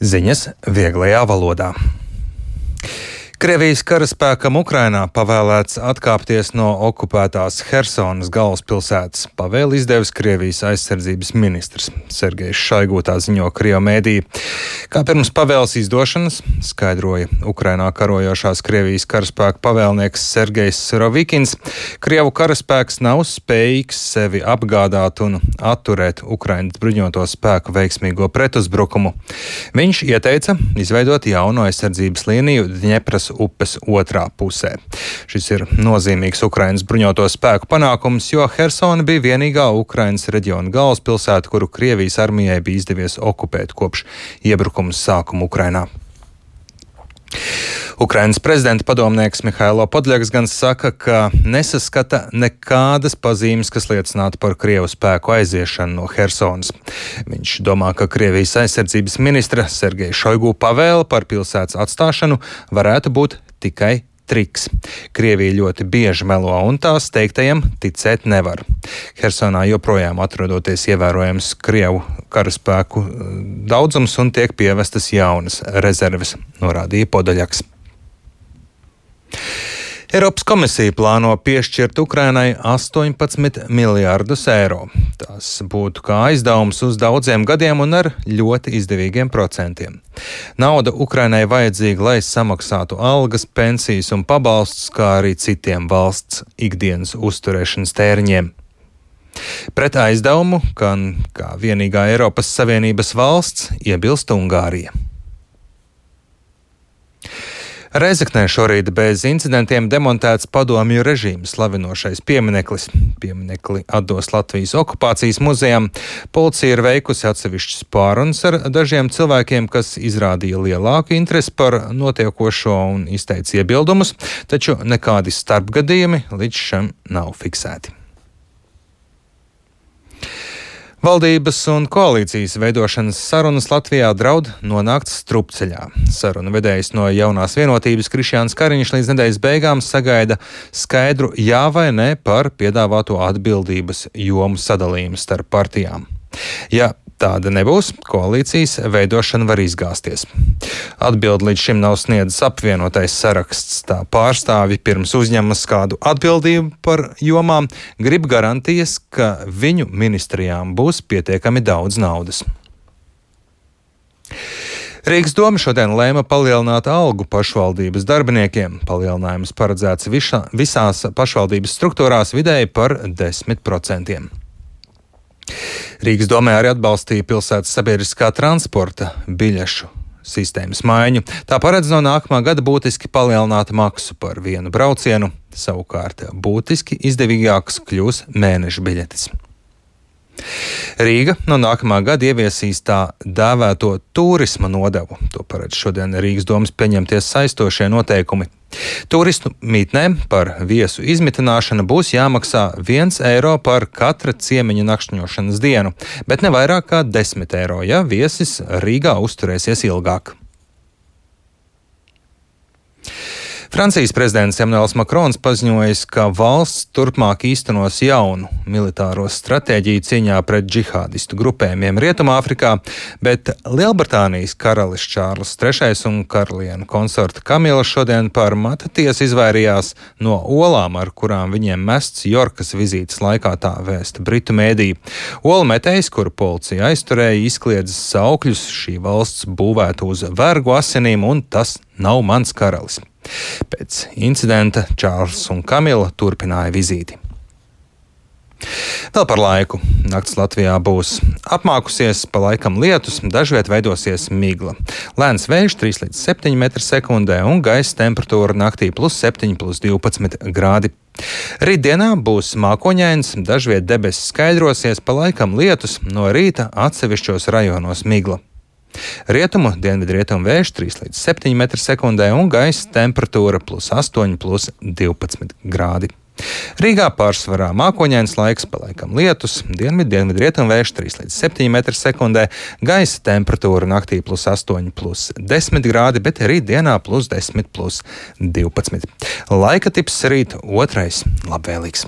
Ziņas vieglajā valodā. Krievijas karaspēkam Ukrainā pavēlēts atkāpties no okupētās Hersonas galvaspilsētas. Pavēli izdevis Krievijas aizsardzības ministrs Sergejs Šoigu, tā ziņo Krievu mēdī. Kā pirms pavēles izdošanas, skaidroja Ukrainā karojošās Krievijas karaspēka pavēlnieks Sergejs Surovikins, Krievu karaspēks nav spējīgs sevi apgādāt un atturēt Ukrainas bruņoto spēku veiksmīgo pretuzbrukumu. Viņš ieteica izveidot jaunu aizsardzības līniju Dņepras upes otrā pusē. Šis ir nozīmīgs Ukrainas bruņoto spēku panākums, jo Hersona bija vienīgā Ukrainas reģiona galvaspilsēta, kuru Krievijas armijai bija izdevies okupēt kopš iebrukuma sākuma Ukrainā. Ukrainas prezidenta padomnieks Mihailo Podļaks gan saka, ka nesaskata nekādas pazīmes, kas liecinātu par Krievu spēku aiziešanu no Hersonas. Viņš domā, ka Krievijas aizsardzības ministra Sergeja Šoigu pavēle par pilsētas atstāšanu varētu būt tikai triks. Krievija ļoti bieži melo un tās teiktajiem ticēt nevar. Hersonā joprojām atrodoties ievērojams Krievu karaspēku daudzums un tiek pievestas jaunas rezerves, norādīja Podļaks. Eiropas komisija plāno piešķirt Ukrainai 18 miljārdus eiro. Tas būtu kā aizdevums uz daudziem gadiem un ar ļoti izdevīgiem procentiem. Nauda Ukrainai vajadzīga, lai samaksātu algas, pensijas un pabalstus, kā arī citiem valsts ikdienas uzturēšanas tēriņiem. Pret aizdevumu, kā vienīgā Eiropas Savienības valsts, iebilst Ungārija. Reizeknē šorīt bez incidentiem demontēts padomju režīmu slavinošais piemineklis. Pieminekli atdos Latvijas okupācijas muzejam. Policija ir veikusi atsevišķas pārunas ar dažiem cilvēkiem, kas izrādīja lielāku interesi par notiekošo un izteica iebildumus, taču nekādi starpgadījumi līdz šim nav fiksēti. Valdības un koalīcijas veidošanas sarunas Latvijā draud nonākt strupceļā. Sarunu vedējs no Jaunās vienotības Krišjāns Kariņš līdz nedēļas beigām sagaida skaidru jā vai nē par piedāvāto atbildības jomu sadalījumu starp partijām. Ja tāda nebūs, koalīcijas veidošana var izgāzties. Atbildi līdz šim nav sniedzis apvienotais saraksts. Tā pārstāvi pirms uzņemas kādu atbildību par jomām, grib garantijas, ka viņu ministrijām būs pietiekami daudz naudas. Rīgas doma šodien lēma palielināt algu pašvaldības darbiniekiem. Palielinājums paredzēts visās pašvaldības struktūrās vidēji par 10%. Rīgas domē arī atbalstīja pilsētas sabiedriskā transporta biļešu sistēmas maiņu. Tā paredz no nākamā gada būtiski palielināt maksu par vienu braucienu, savukārt būtiski izdevīgāks kļūs mēneša biļetes. Rīga no nākamā gada ieviesīs tā dēvēto turisma nodevu. To paredz šodien Rīgas domas pieņemties saistošie noteikumi. Turistu mītnēm par viesu izmitināšanu būs jāmaksā 1 eiro par katra ciemiņa nakšņošanas dienu, bet ne vairāk kā 10 eiro, ja viesis Rīgā uzturēsies ilgāk. Francijas prezidents Emmanuels Makrons paziņojis, ka valsts turpmāk īstenos jaunu militāro stratēģiju cīņā pret džihādistu grupējumiem Rietumāfrikā, bet Lielbritānijas karalis Čārls III un karaliene konsorte Kamila šodien par mata tiesu izvairījās no olām, ar kurām viņiem mests Jorkas vizītes laikā, tā vēsta britu mēdī. Olu metējs, kuru policija aizturēja, izkliedzis saukļus: šī valsts būvēta uz vergu asinīm un tas nav mans karalis. Pēc incidenta Čārls un Kamila turpināja vizīti. Vēl par laiku. Nakts Latvijā būs apmākusies, pa laikam lietus, dažviet veidosies migla. Lēns vējš 3 līdz 7 m/sekundē un gaisa temperatūra naktī +7, +12 grādi. Rītdienā būs mākoņains, dažviet debesis skaidrosies, pa laikam lietus, no rīta atsevišķos rajonos migla. Rietumu dienvidrietumu vējš 3 līdz 7 m/sekundē un gaisa temperatūra +8, +12 grādi. Rīgā pārsvarā mākoņains laiks, pa laikam lietus, dienvidrietumu vējš 3 līdz 7 m/sekundē, gaisa temperatūra naktī +8, +10 grādi, bet rītdienā +10, +12. Laika tips rīt otrais labvēlīgs.